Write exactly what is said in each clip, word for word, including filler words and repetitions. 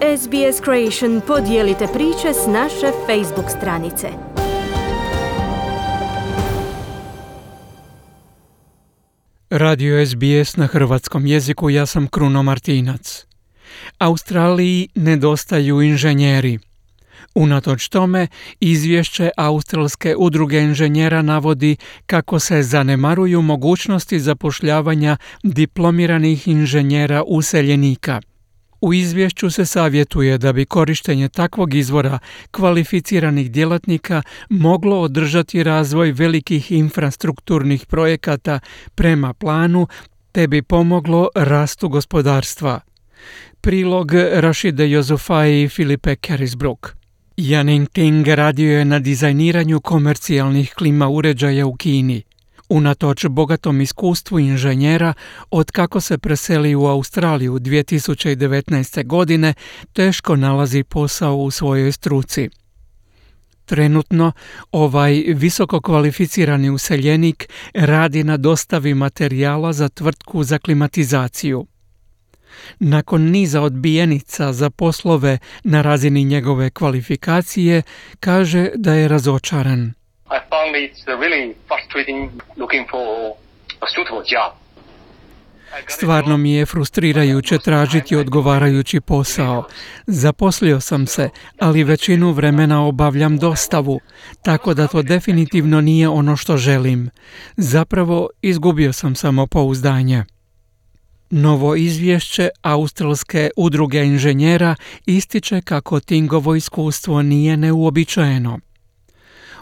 S B S Creation podijelite priče s naše Facebook stranice. Radio S B S na hrvatskom jeziku, ja sam Kruno Martinac. Australiji nedostaju inženjeri. Unatoč tome, izvješće Australske udruge inženjera navodi kako se zanemaruju mogućnosti zapošljavanja diplomiranih inženjera useljenika. U izvješću se savjetuje da bi korištenje takvog izvora kvalificiranih djelatnika moglo održati razvoj velikih infrastrukturnih projekata prema planu, te bi pomoglo rastu gospodarstva. Prilog Rašide Jozufaj i Filipe Carisbrook. Janing Ting radio je na dizajniranju komercijalnih klima uređaja u Kini. Unatoč bogatom iskustvu inženjera, od kako se preseli u Australiju dvije tisuće devetnaeste. godine, teško nalazi posao u svojoj struci. Trenutno, ovaj visoko kvalificirani useljenik radi na dostavi materijala za tvrtku za klimatizaciju. Nakon niza odbijenica za poslove na razini njegove kvalifikacije, kaže da je razočaran. I found it's really frustrating looking for a suitable job. Stvarno mi je frustrirajuće tražiti odgovarajući posao. Zaposlio sam se, ali većinu vremena obavljam dostavu, tako da to definitivno nije ono što želim. Zapravo, izgubio sam samopouzdanje. Novo izvješće Australske udruge inženjera ističe kako Tingovo iskustvo nije neuobičajeno.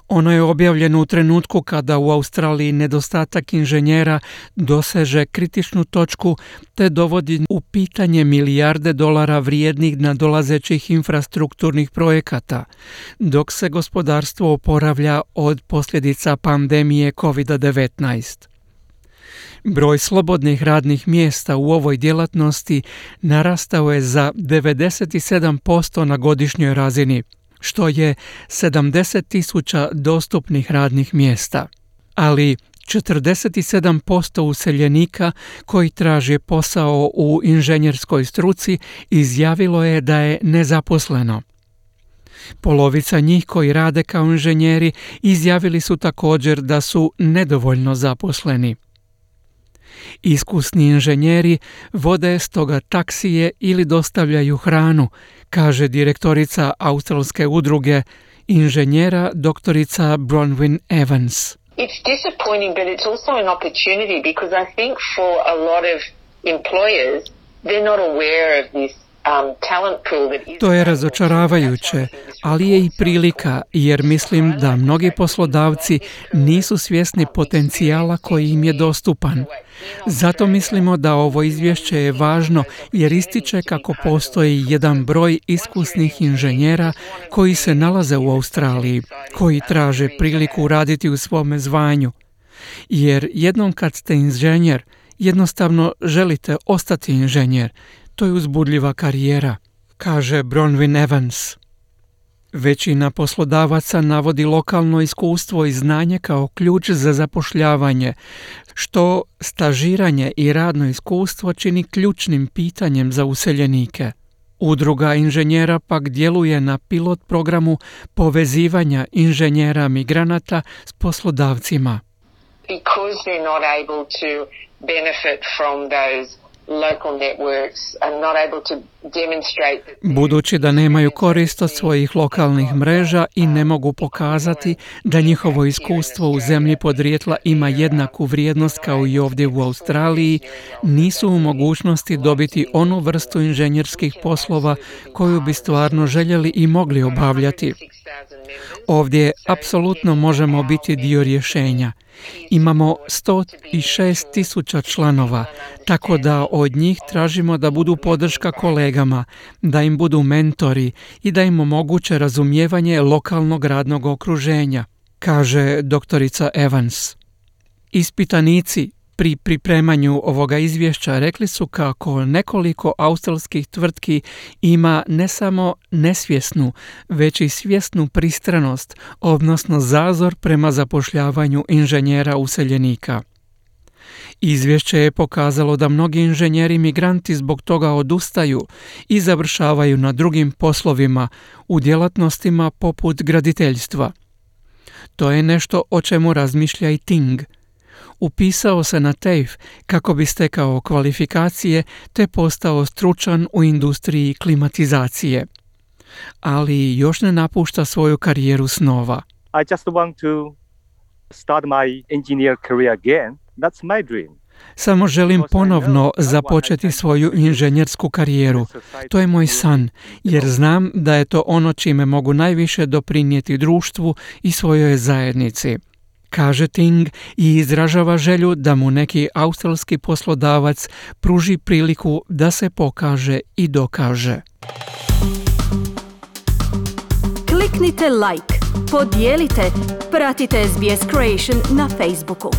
Ono je objavljeno u trenutku kada u Australiji nedostatak inženjera doseže kritičnu točku te dovodi u pitanje milijarde dolara vrijednih nadolazećih infrastrukturnih projekata, dok se gospodarstvo oporavlja od posljedica pandemije kovid devetnaest. Broj slobodnih radnih mjesta u ovoj djelatnosti narastao je za devedeset sedam posto na godišnjoj razini, što je sedamdeset tisuća dostupnih radnih mjesta. Ali četrdeset sedam posto useljenika koji traže posao u inženjerskoj struci izjavilo je da je nezaposleno. Polovica njih koji rade kao inženjeri izjavili su također da su nedovoljno zaposleni. Iskusni inženjeri vode stoga taksije ili dostavljaju hranu, kaže direktorica Australske udruge inženjera doktorica Bronwyn Evans. It's disappointing, but it's also an opportunity because I think for a lot of employers, they're not aware of this um, talent pool that is... To je razočaravajuće, ali je i prilika, jer mislim da mnogi poslodavci nisu svjesni potencijala koji im je dostupan. Zato mislimo da ovo izvješće je važno jer ističe kako postoji jedan broj iskusnih inženjera koji se nalaze u Australiji, koji traže priliku raditi u svome zvanju. Jer jednom kad ste inženjer, jednostavno želite ostati inženjer. To je uzbudljiva karijera, kaže Bronwyn Evans. Većina poslodavaca navodi lokalno iskustvo i znanje kao ključ za zapošljavanje, što stažiranje i radno iskustvo čini ključnim pitanjem za useljenike. Udruga inženjera pak djeluje na pilot programu povezivanja inženjera migranata s poslodavcima. Because they're not able to benefit from those local networks and not able to demonstrate that... Budući da nemaju korist od svojih lokalnih mreža i ne mogu pokazati da njihovo iskustvo u zemlji podrijetla ima jednaku vrijednost kao i ovdje u Australiji, nisu u mogućnosti dobiti onu vrstu inženjerskih poslova koju bi stvarno željeli i mogli obavljati. Ovdje apsolutno možemo biti dio rješenja. Imamo sto šest tisuća članova, tako da od njih tražimo da budu podrška kolegama, da im budu mentori i da im omoguće razumijevanje lokalnog radnog okruženja, kaže doktorica Evans. Ispitanici pri pripremanju ovoga izvješća rekli su kako nekoliko australskih tvrtki ima ne samo nesvjesnu, već i svjesnu pristranost, odnosno zazor prema zapošljavanju inženjera useljenika. Izvješće je pokazalo da mnogi inženjeri migranti zbog toga odustaju i završavaju na drugim poslovima u djelatnostima poput graditeljstva. To je nešto o čemu razmišlja i Ting. Upisao se na TAFE kako bi stekao kvalifikacije te postao stručan u industriji klimatizacije. Ali još ne napušta svoju karijeru snova. I just want to start my engineer career again. That's my dream. Samo želim ponovno započeti svoju inženjersku karijeru. To je moj san, jer znam da je to ono čime mogu najviše doprinijeti društvu i svojoj zajednici. Kaže Ting i izražava želju da mu neki australski poslodavac pruži priliku da se pokaže i dokaže. Kliknite like, podijelite, pratite S B S Creation na Facebooku.